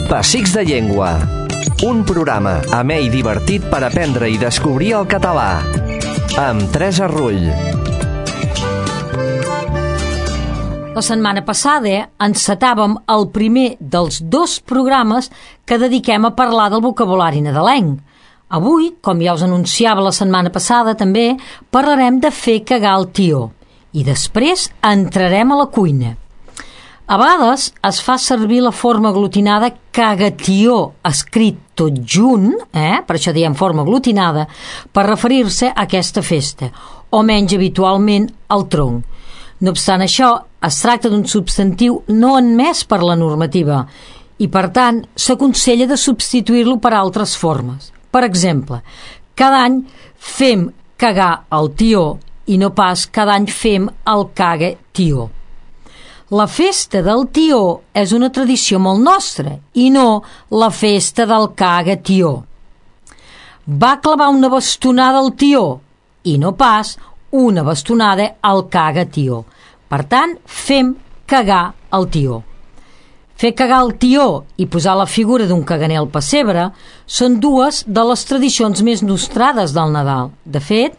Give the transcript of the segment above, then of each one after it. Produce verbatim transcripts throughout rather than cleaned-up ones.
Pessics de Llengua. Un programa amè i divertit per aprendre i descobrir el català. Amb Teresa Rull. La setmana passada encetàvem el primer dels dos programes que dediquem a parlar del vocabulari nadalenc. Avui, com ja us anunciava la setmana passada també, parlarem de fer cagar el tió i després entrarem a la cuina. A vegades es fa servir la forma aglutinada cagatió, escrit tot junt, eh? Per això diem forma aglutinada, per referir-se a aquesta festa, o menys habitualment al tronc. No obstant això, es tracta d'un substantiu no admès per la normativa i, per tant, s'aconsella de substituir-lo per altres formes. Per exemple, cada any fem cagar el tió i no pas cada any fem el caga tió. La festa del tió és una tradició molt nostra i no la festa del caga tió. Va clavar una bastonada al tió i no pas una bastonada al caga tió. Per tant, fem cagar el tió. Fer cagar el tió i posar la figura d'un caganer al pessebre són dues de les tradicions més nostrades del Nadal. De fet,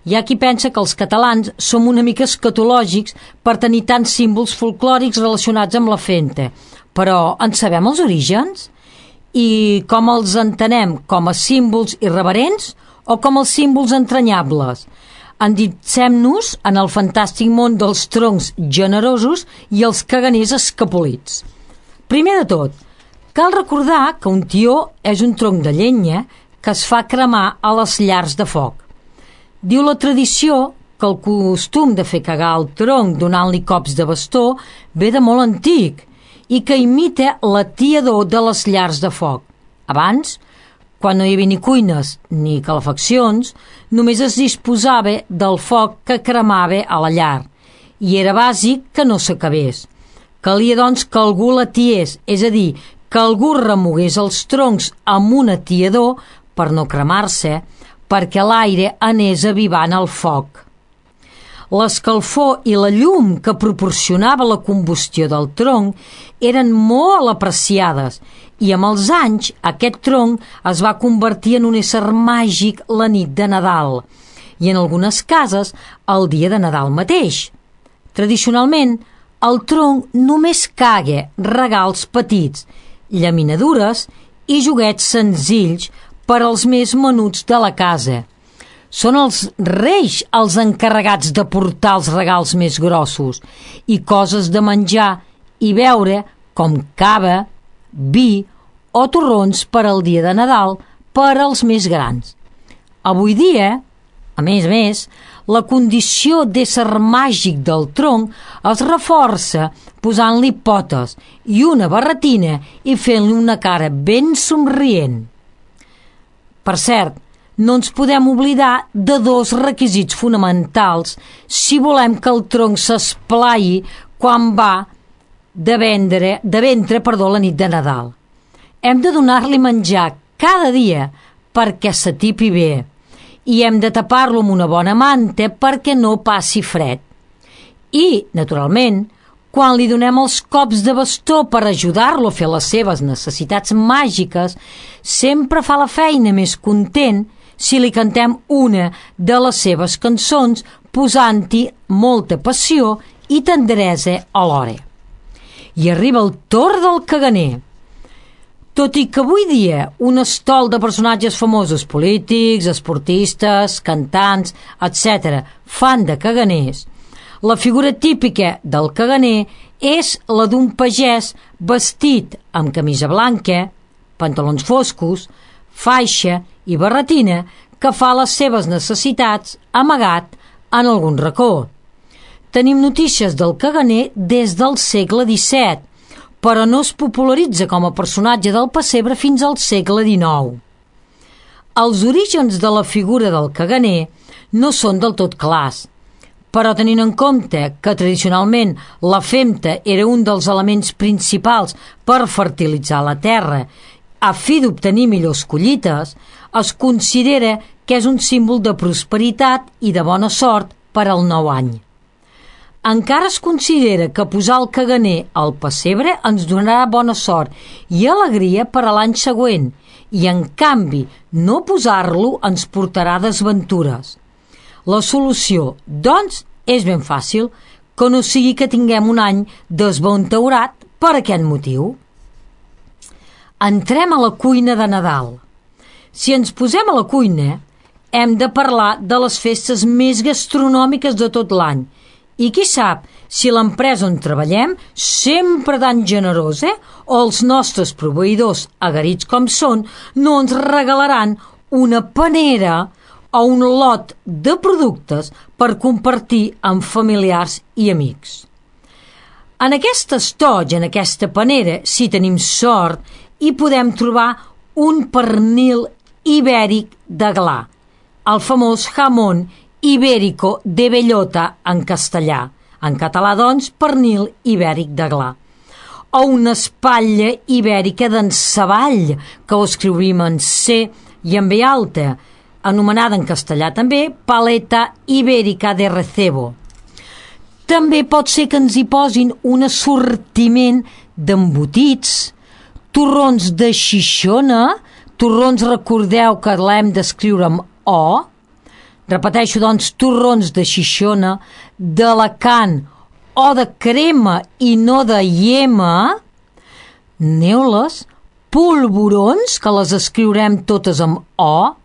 hi ha qui pensa que els catalans som una mica escatològics per tenir tants símbols folclòrics relacionats amb la festa. Però en sabem els orígens? I com els entenem? Com a símbols irreverents o com els símbols entranyables? Enditsem-nos en el fantàstic món dels troncs generosos i els caganers escapolits. Primer de tot, cal recordar que un tió és un tronc de llenya que es fa cremar a les llars de foc. Diu la tradició que el costum de fer cagar el tronc donant-li cops de bastó ve de molt antic i que imita la tiador de les llars de foc. Abans, quan no hi havia ni cuines ni calefaccions, només es disposava del foc que cremava a la llar i era bàsic que no s'acabés. Calia, doncs, que algú la tiés, és a dir, que algú remogués els troncs amb un atiador per no cremar-se, perquè l'aire anés avivant el foc. L'escalfor i la llum que proporcionava la combustió del tronc eren molt apreciades i amb els anys aquest tronc es va convertir en un ésser màgic la nit de Nadal i en algunes cases el dia de Nadal mateix. Tradicionalment, el tronc només caga regals petits, llaminadures i joguets senzills per als més menuts de la casa. Són els reis els encarregats de portar els regals més grossos i coses de menjar i beure com cava, vi o torrons per al dia de Nadal per als més grans. Avui dia, a més a més, la condició d'ésser màgic del tronc es reforça posant-li potes i una barretina i fent-li una cara ben somrient. Per cert, no ens podem oblidar de dos requisits fonamentals si volem que el tronc s'esplai quan va de, vendre, de ventre perdó, la nit de Nadal. Hem de donar-li menjar cada dia perquè s'atipi bé i hem de tapar-lo amb una bona manta perquè no passi fred. I, naturalment, quan li donem els cops de bastó per ajudar-lo a fer les seves necessitats màgiques, sempre fa la feina més content si li cantem una de les seves cançons posant-hi molta passió i tendresa alhora. I arriba el torn del caganer. Tot i que avui dia un estol de personatges famosos, polítics, esportistes, cantants, etcètera, fan de caganers, la figura típica del caganer és la d'un pagès vestit amb camisa blanca, pantalons foscos, faixa i barretina que fa les seves necessitats amagat en algun racó. Tenim notícies del caganer des del segle disset, però no es popularitza com a personatge del pessebre fins al segle dinou. Els orígens de la figura del caganer no són del tot clars, però tenint en compte que tradicionalment la femta era un dels elements principals per fertilitzar la terra a fi d'obtenir millors collites, es considera que és un símbol de prosperitat i de bona sort per al nou any. encara es considera que posar el caganer al pessebre ens donarà bona sort i alegria per a l'any següent, i en canvi no posar-lo ens portarà desventures. La solució, doncs, és ben fàcil, que no sigui que tinguem un any desventaurat per aquest motiu. Entrem a la cuina de Nadal. Si ens posem a la cuina, hem de parlar de les festes més gastronòmiques de tot l'any. I qui sap si l'empresa on treballem, sempre tan generosa, o els nostres proveïdors, agarits com són, no ens regalaran una panera o un lot de productes per compartir amb familiars i amics. En aquest estoig, en aquesta panera, si tenim sort, hi podem trobar un pernil ibèric de gla, el famós jamón ibérico de bellota en castellà, en català, doncs, pernil ibèric de gla, o una espatlla ibèrica d'enceball, que ho escrivim en C i en B alta, anomenada en castellà també paleta ibèrica de recebo. També pot ser que ens hi posin un assortiment d'embotits, torrons de Xixona, torrons recordeu que l'hem d'escriure amb O, repeteixo, doncs, torrons de Xixona, d'Alacant o de crema i no de iema, neules, polvorons, que les escriurem totes amb O,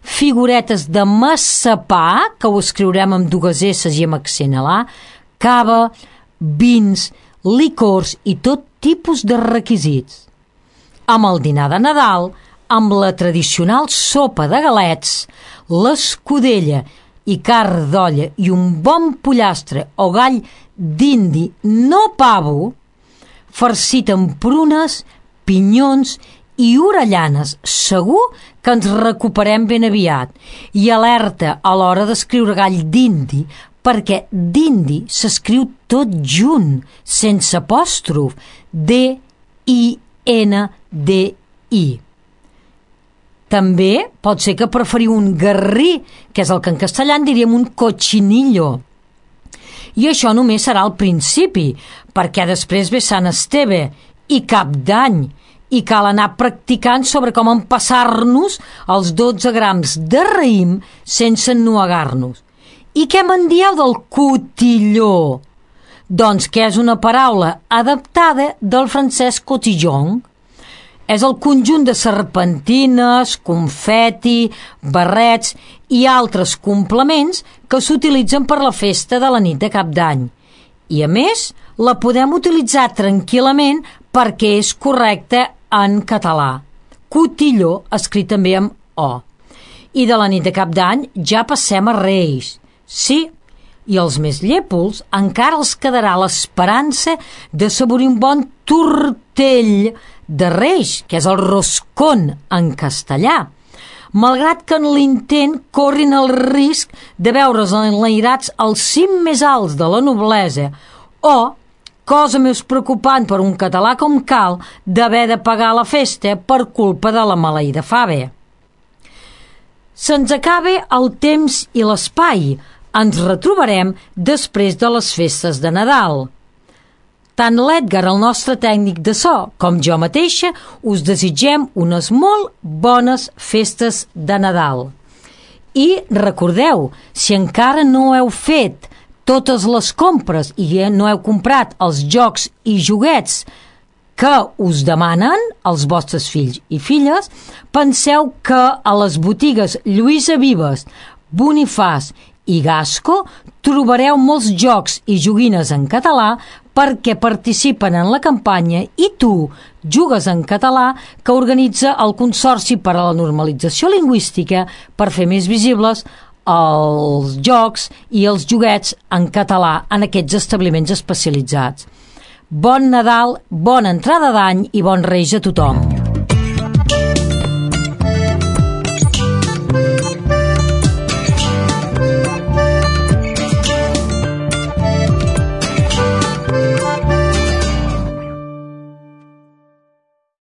figuretes de massapà, que ho escriurem amb dues esses i amb accent a la, cava, vins, licors i tot tipus de requisits. Amb el dinar de Nadal, amb la tradicional sopa de galets, l'escudella i carn d'olla i un bon pollastre o gall d'indi no pavo, farcit amb prunes, pinyons i orellanes, segur que ens recuperem ben aviat. I alerta a l'hora d'escriure gall d'indi, perquè d'indi s'escriu tot junt, sense apòstrof, D I N D I. També pot ser que preferiu un garrí, que és el que en castellà en diríem un cochinillo. I això només serà al principi, perquè després ve Sant Esteve i Cap d'Any, i cal anar practicant sobre com empassar-nos els dotze grams de raïm sense ennuegar-nos. I què me'n dieu del cotilló? Doncs que és una paraula adaptada del francès cotillon. És el conjunt de serpentines, confeti, barrets i altres complements que s'utilitzen per la festa de la nit de Cap d'Any. I, a més, la podem utilitzar tranquil·lament perquè és correcte en català. Cotilló, escrit també amb O. I de la nit de Cap d'Any ja passem a Reis. Sí, i els més llépols encara els quedarà l'esperança de saborir un bon tortell de Reis, que és el roscón en castellà, malgrat que en l'intent corrin el risc de veure's enlairats al cim més alts de la noblesa o, cosa més preocupant per un català com cal, d'haver de pagar la festa per culpa de la maleïda fava. Se'ns acaba el temps i l'espai. Ens retrobarem després de les festes de Nadal. Tant l'Edgar, el nostre tècnic de so, com jo mateixa, us desitgem unes molt bones festes de Nadal. I recordeu, si encara no heu fet totes les compres i no heu comprat els jocs i joguets que us demanen els vostres fills i filles, penseu que a les botigues Lluïsa Vives, Bonifaç i Gasco trobareu molts jocs i joguines en català perquè participen en la campanya I tu jugues en català que organitza el Consorci per a la Normalització Lingüística per fer més visibles els jocs i els joguets en català en aquests establiments especialitzats. Bon Nadal, bona entrada d'any i bons Reis a tothom!